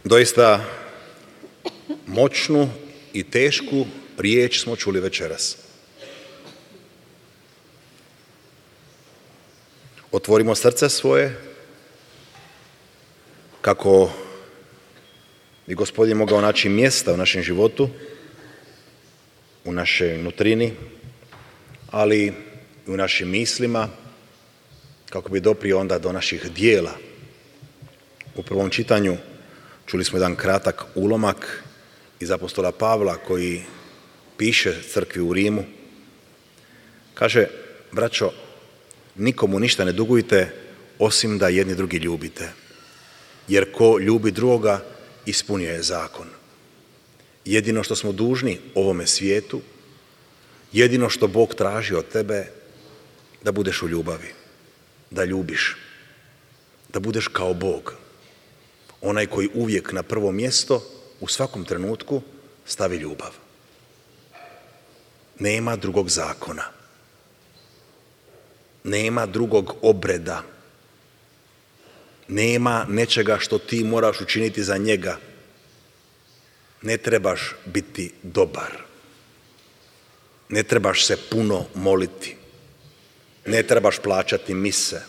Doista moćnu i tešku riječ smo čuli večeras. Otvorimo srce svoje kako bi Gospodin mogao naći mjesta u našem životu, u našoj nutrini, ali i u našim mislima, kako bi doprio onda do naših dijela. U prvom čitanju čuli smo jedan kratak ulomak iz apostola Pavla koji piše crkvi u Rimu. Kaže: braćo, nikomu ništa ne dugujte osim da jedni drugi ljubite, jer ko ljubi drugoga ispunio je zakon. Jedino što smo dužni ovome svijetu, jedino što Bog traži od tebe, da budeš u ljubavi, da ljubiš, da budeš kao Bog, onaj koji uvijek na prvo mjesto u svakom trenutku stavi ljubav. Nema drugog zakona, nema drugog obreda, nema nečega što ti moraš učiniti za njega. Ne trebaš biti dobar, ne trebaš se puno moliti, ne trebaš plaćati mise,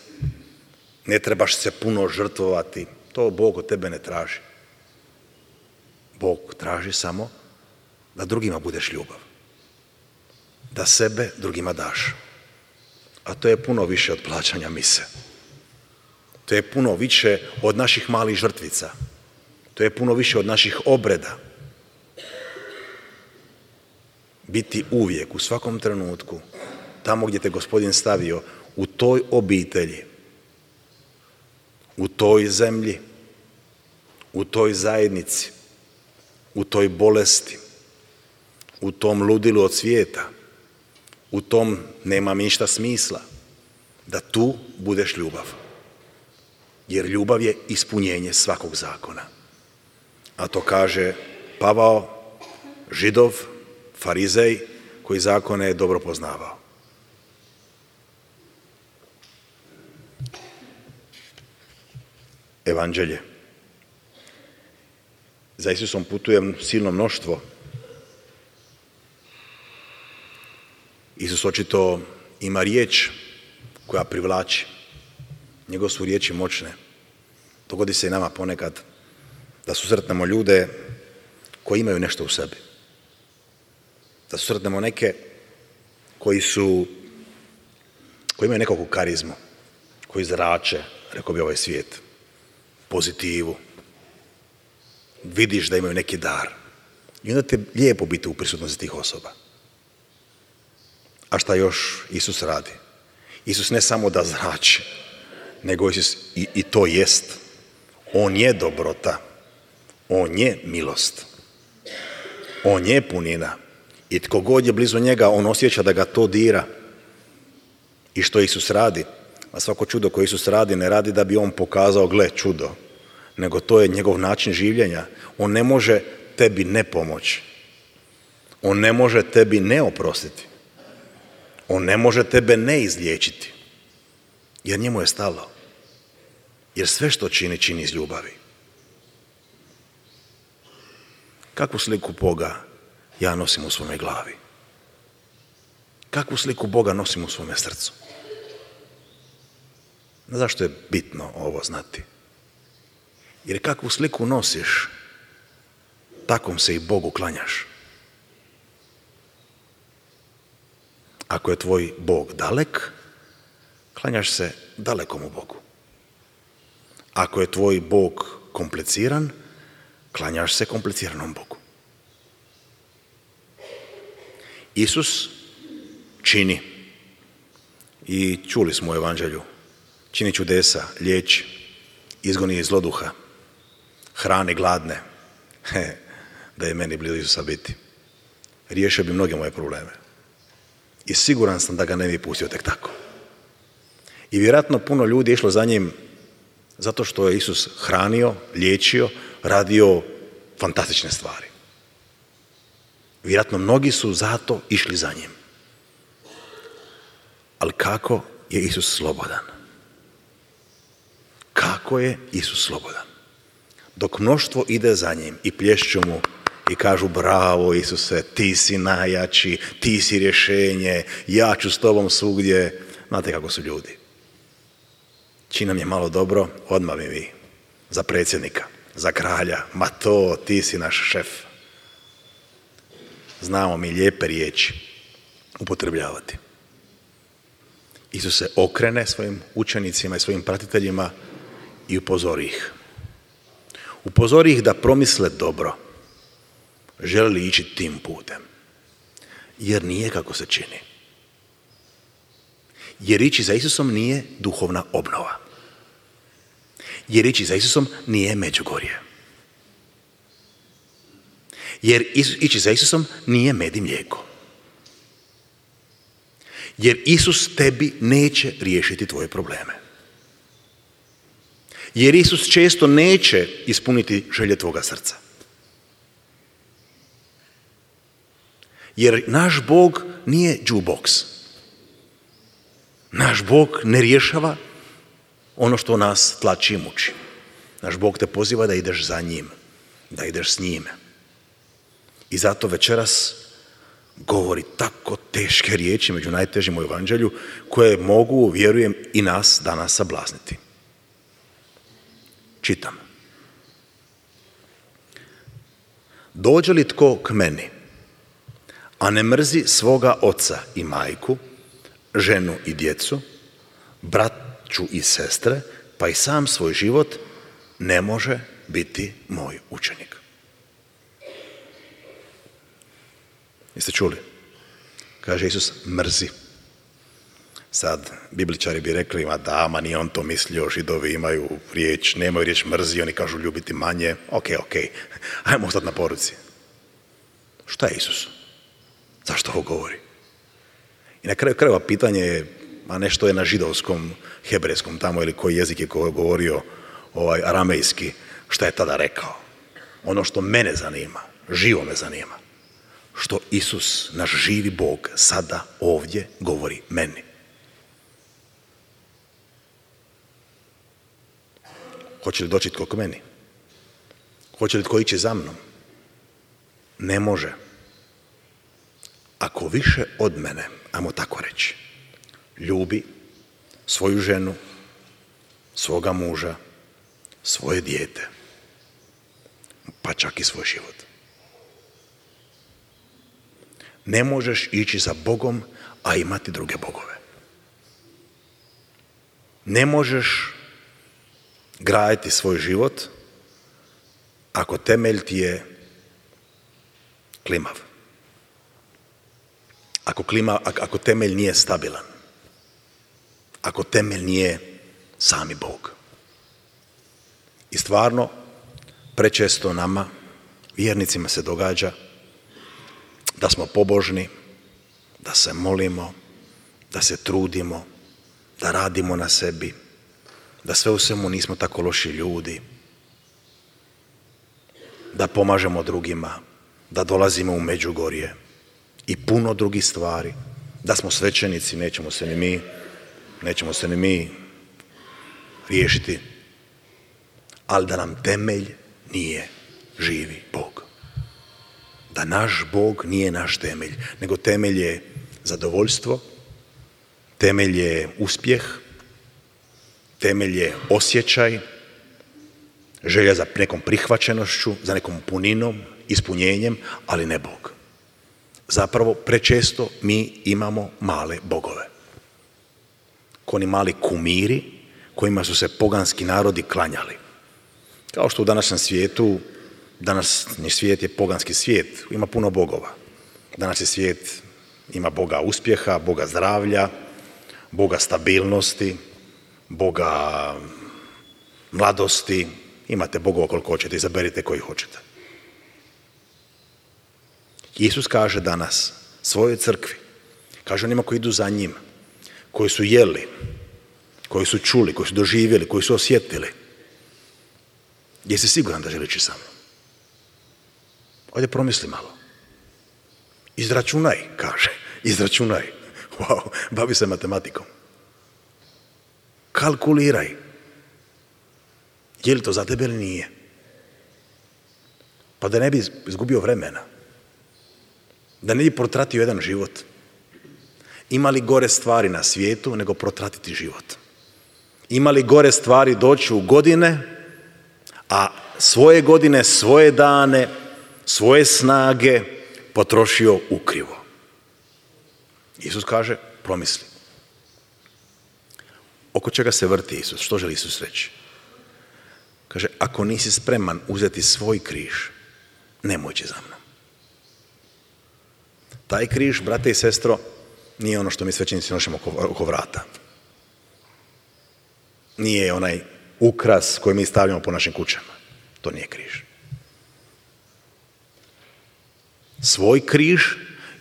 ne trebaš se puno žrtvovati. To Bog od tebe ne traži. Bog traži samo da drugima budeš ljubav, da sebe drugima daš. A to je puno više od plaćanja mise. To je puno više od naših malih žrtvica. To je puno više od naših obreda. Biti uvijek, u svakom trenutku, tamo gdje te Gospodin stavio, u toj obitelji, u toj zemlji, u toj zajednici, u toj bolesti, u tom ludilu od svijeta, u tom nema ništa smisla, da tu budeš ljubav. Jer ljubav je ispunjenje svakog zakona. A to kaže Pavao, Židov, Farizej, koji zakone je dobro poznavao. Evanđelje. Za Isusom putuje silno mnoštvo. Isus očito ima riječ koja privlači. Njegove su riječi moćne. Dogodi se i nama ponekad da susretnemo ljude koji imaju nešto u sebi. Da susretnemo neke koji imaju nekakvu karizmu, koji zrače, rekao bi ovaj svijet, pozitivu. Vidiš da imaju neki dar. I onda ti je lijepo biti u prisutnosti tih osoba. A šta još Isus radi? Isus ne samo da zrači, nego Isus i to jest. On je dobrota. On je milost. On je punina. I tko god je blizu njega, on osjeća da ga to dira. I što Isus radi? A svako čudo koje Isus radi, ne radi da bi on pokazao, gle, čudo, nego to je njegov način življenja. On ne može tebi ne pomoći. On ne može tebi ne oprostiti. On ne može tebe ne izliječiti. Jer njemu je stalo. Jer sve što čini, čini iz ljubavi. Kakvu sliku Boga ja nosim u svome glavi? Kakvu sliku Boga nosim u svome srcu? Zašto je bitno ovo znati? Jer kakvu sliku nosiš, takvom se i Bogu klanjaš. Ako je tvoj Bog dalek, klanjaš se dalekomu Bogu. Ako je tvoj Bog kompliciran, klanjaš se kompliciranom Bogu. Isus čini, i čuli smo u Evanđelju, čini čudesa, liječi, izgoni iz zloduha, hrani gladne. Da je meni blizu Isusa biti. Riješio bi mnoge moje probleme. I siguran sam da ga ne bi pustio tek tako. I vjerojatno puno ljudi je išlo za njim zato što je Isus hranio, liječio, radio fantastične stvari. Vjerojatno mnogi su zato išli za njim. Ali kako je Isus slobodan? Kako je Isus slobodan? dok mnoštvo ide za njim i plješću mu i kažu bravo Isuse, ti si najjači, ti si rješenje, ja ću s tobom svugdje. Znate kako su ljudi. Čim nam je malo dobro, odmah mi vi. Za predsjednika, za kralja, ma to, ti si naš šef. Znamo mi lijepe riječi upotrebljavati. Isus se okrene svojim učenicima i svojim pratiteljima i upozori ih. Upozori ih da promisle dobro. Žele li ići tim putem? Jer nije kako se čini. Jer ići za Isusom nije duhovna obnova. Jer ići za Isusom nije Međugorje. Jer ići za Isusom nije med i mlijeko. Jer Isus tebi neće riješiti tvoje probleme. Jer Isus često neće ispuniti želje tvoga srca. Jer naš Bog nije jukebox. Naš Bog ne rješava ono što nas tlači i muči. Naš Bog te poziva da ideš za njim, da ideš s njime. I zato večeras govori tako teške riječi među najtežim u evanđelju koje mogu, vjerujem, i nas danas sablazniti. Čitam. Dođe li tko k meni, a ne mrzi svoga oca i majku, ženu i djecu, braću i sestre, pa i sam svoj život, ne može biti moj učenik. Jeste čuli? Kaže Isus, mrzi. Sad, bibličari bi rekli, ma nije on to mislio, Židovi imaju riječ, nemaju riječ mrzi, oni kažu ljubiti manje. Ok, ajmo ostati na poruci. Šta je Isus? Zašto ovo govori? I na kraju krajeva pitanje je, a nešto je na židovskom, hebrejskom tamo ili koji jezik je govorio aramejski, šta je tada rekao? Ono što mene zanima, živo me zanima, što Isus, naš živi Bog, sada ovdje govori meni. Hoće li doći tko k meni? Hoće li tko ići za mnom? Ne može. Ako više od mene, ajmo tako reći, ljubi svoju ženu, svoga muža, svoje dijete, pa čak i svoj život. Ne možeš ići za Bogom, a imati druge bogove. Ne možeš graditi svoj život ako temelj ti je klimav. Ako temelj nije stabilan. Ako temelj nije sami Bog. I stvarno, prečesto nama, vjernicima, se događa da smo pobožni, da se molimo, da se trudimo, da radimo na sebi, da sve u svemu nismo tako loši ljudi, da pomažemo drugima, da dolazimo u Međugorje i puno drugih stvari, da smo svećenici, nećemo se ni mi riješiti, ali da nam temelj nije živi Bog. Da naš Bog nije naš temelj, nego temelj je zadovoljstvo, temelj je uspjeh, temelj je osjećaj, želja za nekom prihvaćenošću, za nekom puninom, ispunjenjem, ali ne Bog. Zapravo, prečesto mi imamo male bogove. Ko oni mali kumiri kojima su se poganski narodi klanjali. Kao što u današnjem svijetu, današnji svijet je poganski svijet, ima puno bogova. Današnji svijet ima Boga uspjeha, Boga zdravlja, Boga stabilnosti, Boga mladosti. Imate bogova koliko hoćete, izaberite koji hoćete. Isus kaže danas svojoj crkvi, kaže onima koji idu za njim, koji su jeli, koji su čuli, koji su doživjeli, koji su osjetili. Jesi siguran da želiš ići sa mnom? Ovdje promisli malo. Izračunaj, kaže. Izračunaj. Wow, bavi se matematikom. Kalkuliraj. Je li to za tebe ili nije? Pa da ne bi izgubio vremena. Da ne bi protratio jedan život. Ima li gore stvari na svijetu nego protratiti život? Ima li gore stvari doći u godine, a svoje godine, svoje dane, svoje snage potrošio ukrivo? Isus kaže, promisli. Oko čega se vrti Isus? Što želi Isus reći? Kaže, ako nisi spreman uzeti svoj križ, nemoj ići za mnom. Taj križ, brate i sestro, nije ono što mi svećenici nosimo oko vrata. Nije onaj ukras koji mi stavljamo po našim kućama. To nije križ. Svoj križ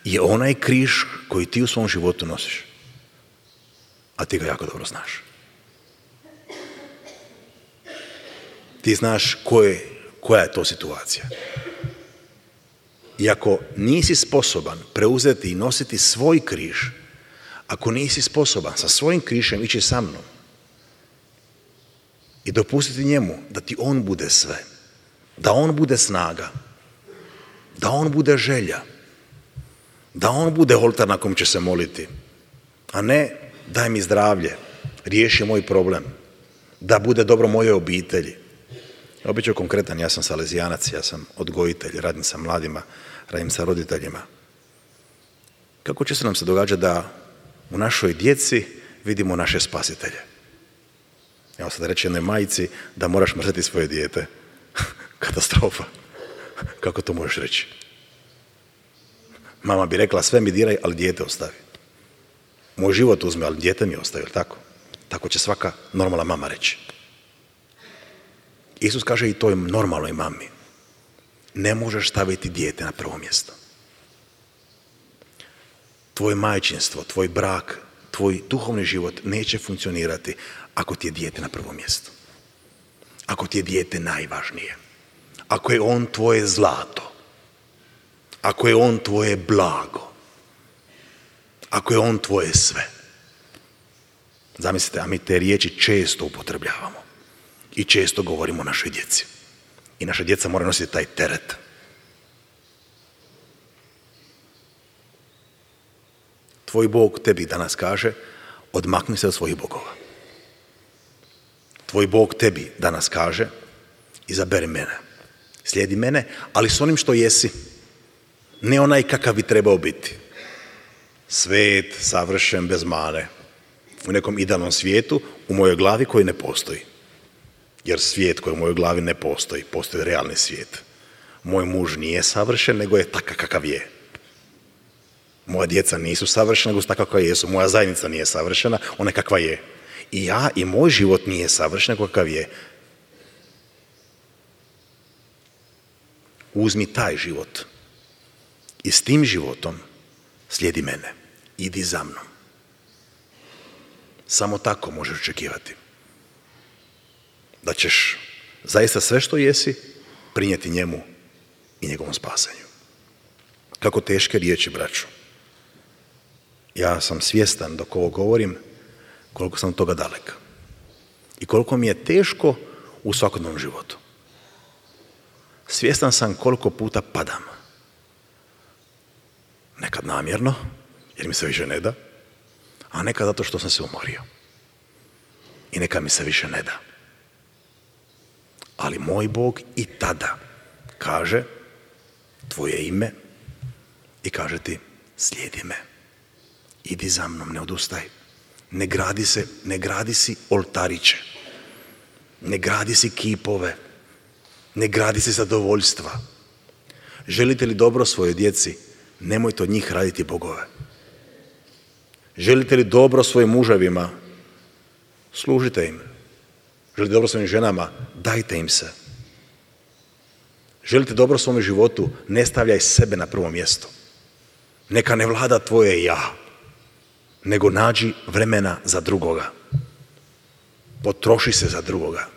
je onaj križ koji ti u svom životu nosiš. A ti ga jako dobro znaš. Ti znaš koja je to situacija. I ako nisi sposoban preuzeti i nositi svoj križ, ako nisi sposoban sa svojim križem ići sa mnom i dopustiti njemu da ti on bude sve, da on bude snaga, da on bude želja, da on bude oltar na kojem će se moliti, a ne daj mi zdravlje, riješi moj problem, da bude dobro moje obitelji. Ja bit ću konkretan, ja sam salezijanac, ja sam odgojitelj, radim sa mladima, radim sa roditeljima. Kako će se nam se događa da u našoj djeci vidimo naše spasitelje? Evo sad reći jednoj majci da moraš mrzeti svoje dijete. Katastrofa. Kako to možeš reći? Mama bi rekla sve mi diraj, ali dijete ostavi. Moj život uzme, ali dijete mi ostavi, tako? Tako će svaka normalna mama reći. Isus kaže i toj normalnoj mami, ne možeš staviti dijete na prvo mjesto. Tvoje majčinstvo, tvoj brak, tvoj duhovni život neće funkcionirati ako ti je dijete na prvo mjesto. Ako ti je dijete najvažnije. Ako je on tvoje zlato. Ako je on tvoje blago. Ako je on tvoje sve. Zamislite, a mi te riječi često upotrebljavamo. I često govorimo o našoj djeci. I naša djeca moraju nositi taj teret. Tvoj Bog tebi danas kaže, odmakni se od svojih bogova. Tvoj Bog tebi danas kaže, izaberi mene. Slijedi mene, ali s onim što jesi. Ne onaj kakav bi trebao biti. Svet, savršen, bez mane. U nekom idealnom svijetu, u mojoj glavi koji ne postoji. Jer svijet koji u mojoj glavi ne postoji, postoji realni svijet. Moj muž nije savršen, nego je takav kakav je. Moja djeca nisu savršena, nego su takva kakva jesu. Moja zajednica nije savršena, ona je kakva je. I ja i moj život nije savršen, nego kakav je. Uzmi taj život i s tim životom slijedi mene. Idi za mnom. Samo tako možeš očekivati da ćeš zaista sve što jesi prinijeti njemu i njegovom spasenju. Kako teške riječi, braćo. Ja sam svjestan dok ovo govorim koliko sam od toga dalek. I koliko mi je teško u svakodnevnom životu. Svjestan sam koliko puta padam. Nekad namjerno, jer mi se više ne da, a nekad zato što sam se umorio. I nekad mi se više ne da. Ali moj Bog i tada kaže tvoje ime i kaže ti slijedi me. Idi za mnom, ne odustaj. Ne gradi si oltariće. Ne gradi si kipove. Ne gradi si zadovoljstva. Želite li dobro svojoj djeci, nemojte od njih raditi bogove. Želite li dobro svojim muževima, služite im. Želite dobro svojim ženama, dajte im se. Želite dobro svom životu, ne stavljaj sebe na prvo mjesto. Neka ne vlada tvoje ja, nego nađi vremena za drugoga. Potroši se za drugoga.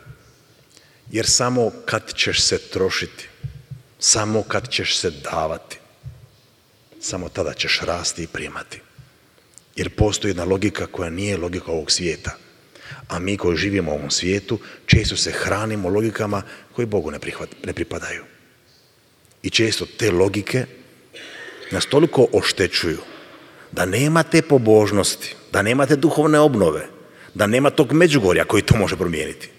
Jer samo kad ćeš se trošiti, samo kad ćeš se davati, samo tada ćeš rasti i primati. Jer postoji jedna logika koja nije logika ovog svijeta. A mi koji živimo u ovom svijetu često se hranimo logikama koji Bogu ne pripadaju. I često te logike nas toliko oštećuju da nema te pobožnosti, da nema te duhovne obnove, da nema tog Međugorja koji to može promijeniti.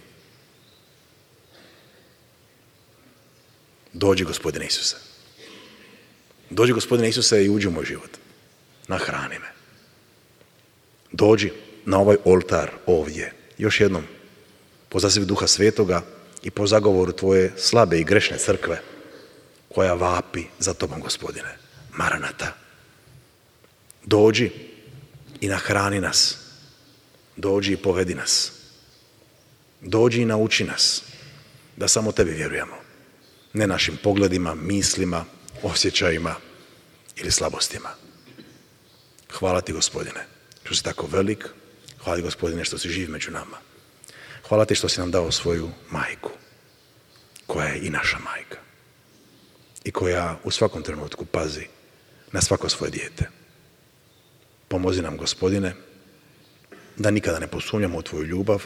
Dođi, Gospodine Isuse. Dođi, Gospodine Isuse, i uđi u moj život. Nahrani me. Dođi na ovaj oltar ovdje. Još jednom, po zazivu Duha Svetoga i po zagovoru tvoje slabe i grešne crkve, koja vapi za tobom, Gospodine. Maranata. Dođi i nahrani nas. Dođi i povedi nas. Dođi i nauči nas da samo tebi vjerujemo. Ne našim pogledima, mislima, osjećajima ili slabostima. Hvala ti, Gospodine, što si tako velik. Hvala ti, Gospodine, što si živ među nama. Hvala ti što si nam dao svoju majku, koja je i naša majka i koja u svakom trenutku pazi na svako svoje dijete. Pomozi nam, Gospodine, da nikada ne posumnjamo u tvoju ljubav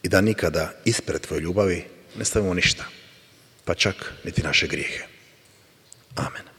i da nikada ispred tvoje ljubavi ne stavimo ništa, pa čak niti naše grijehe. Amen.